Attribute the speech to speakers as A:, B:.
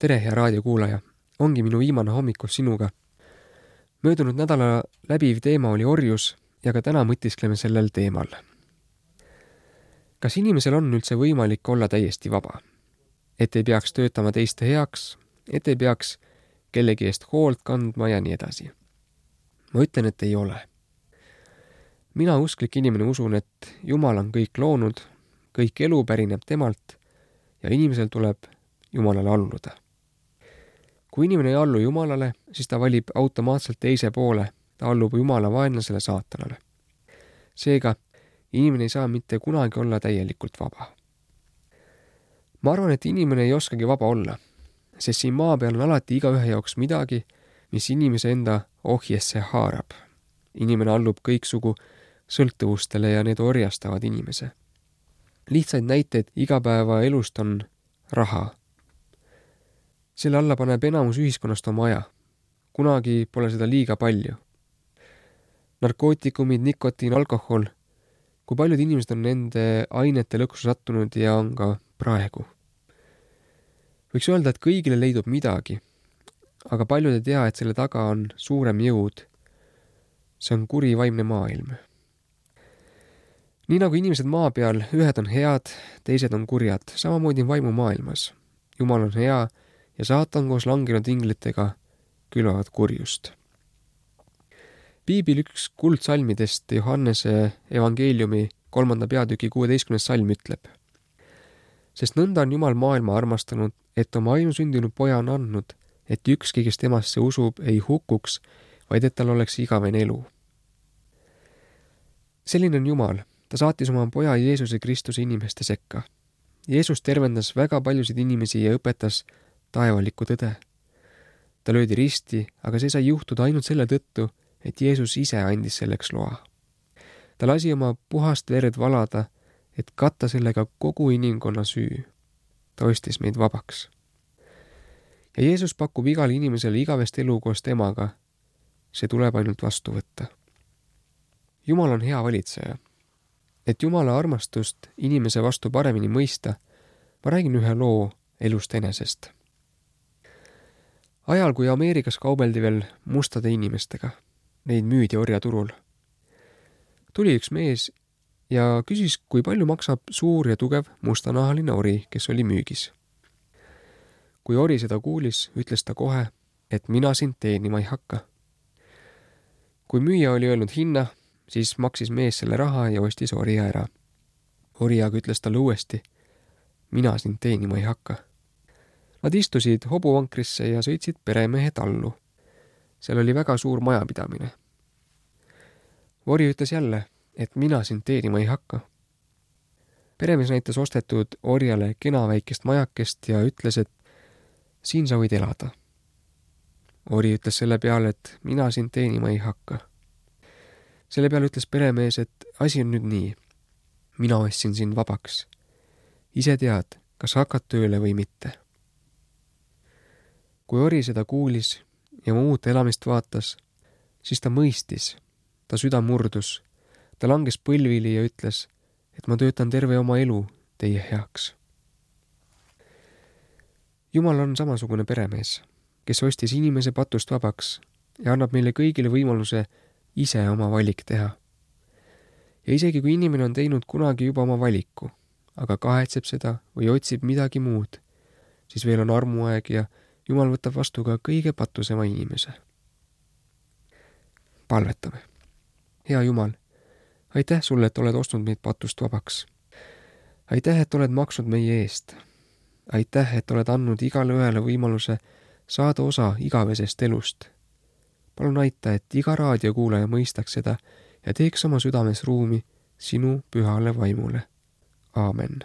A: tere, hea raadiokuulaja! Ongi minu viimane hommikus sinuga. Möödunud nädala läbiv teema oli orjus ja ka täna mõtiskleme sellel teemal. Kas inimesel on üldse võimalik olla täiesti vaba? Et ei peaks töötama teiste heaks, et ei peaks kellegi eest hoolt kandma ja nii edasi. Ma ütlen, et ei ole. Mina usklik inimene usun, et Jumal on kõik loonud, kõik elu pärineb temalt ja inimesel tuleb Jumalale alluda. Kui inimene ei allu Jumalale, siis ta valib automaatselt teise poole, ta allub Jumala vaenlasele saatanale. Seega, inimene ei saa mitte kunagi olla täielikult vaba. Ma arvan, et inimene ei oskagi vaba olla, sest siin maa peal on alati igaühe jaoks midagi, mis inimese enda ohjesse haarab. Inimene allub kõiksugu sõltuvustele ja need orjastavad inimese. Lihtsaid näiteid igapäeva elust on raha. Selle alla paneb enamus ühiskonnast oma aja. Kunagi pole seda liiga palju. Narkootikumid, nikotiin, alkohol. Kui paljud inimesed on nende ainete lõksu sattunud ja on ka praegu. Võiks öelda, et kõigile leidub midagi, aga paljud ei tea, et selle taga on suurem jõud. See on kuri vaimne maailm. Nii nagu inimesed maa peal, ühed on head, teised on kurjad, samamoodi vaimu maailmas. Jumal on hea ja saatan koos langenud inglitega külvavad kurjust. Piibil üks kuldsalmidest Johannese evangeeliumi 3. peatüki 16. salm ütleb. Sest nõnda on Jumal maailma armastanud, et oma ainusündinud poja on andnud, et ükski, kes temasse usub, ei hukuks, vaid et tal oleks igavene elu. Selline on Jumal. Ta saatis oma poja Jeesuse Kristuse inimeste sekka. Jeesus tervendas väga paljusid inimesi ja õpetas taevalikku tõde. Ta löödi risti, aga see sai juhtuda ainult selle tõttu, et Jeesus ise andis selleks loa. Ta lasi oma puhast verd valada, et katta sellega kogu inimkonna süü. Ta ostis meid vabaks. Ja Jeesus pakub igale inimesele igavest elu koos temaga. See tuleb ainult vastu võtta. Jumal on hea valitseja. Et Jumala armastust inimese vastu paremini mõista, ma räägin ühe loo elust enesest. Ajal, kui Ameerikas kaubeldi veel mustade inimestega, neid müüdi orjaturul, tuli üks mees ja küsis, kui palju maksab suur ja tugev mustanahaline ori, kes oli müügis. Kui ori seda kuulis, ütles ta kohe, et mina sind teenima ei hakka. Kui müüja oli öelnud hinna, siis maksis mees selle raha ja ostis orja ära. Ori aga ütles talle uuesti, mina sind teenima ei hakka. Nad istusid hobuvankrisse ja sõitsid peremehe tallu. Seal oli väga suur majapidamine. Ori ütles jälle, et mina sind teenima ei hakka. Peremees näitas ostetud orjale kena väikest majakest ja ütles, et siin sa võid elada. Ori ütles selle peale, et mina sind teenima ei hakka. Selle peale ütles peremees, et asi on nüüd nii. Mina ostsin sind vabaks. Ise tead, kas hakkad tööle või mitte. Kui ori seda kuulis ja muud elamist vaatas, siis ta mõistis. Ta süda murdus. Ta langes põlvili ja ütles, et ma töötan terve oma elu teie heaks. Jumal on samasugune peremees, kes ostis inimese patust vabaks ja annab meile kõigile võimaluse ise oma valik teha. Ja isegi kui inimene on teinud kunagi juba oma valiku, aga kahetseb seda või otsib midagi muud, siis veel on armuaeg ja Jumal võtab vastu ka kõige patusema inimese. Palvetame. Hea Jumal, aitäh sulle, et oled ostnud meid patust vabaks. Aitäh, et oled maksnud meie eest. Aitäh, et oled andnud igale ühele võimaluse saada osa igavesest elust. Palun aita, et iga raadiokuulaja mõistaks seda ja teeks oma südames ruumi sinu pühale vaimule. Aamen.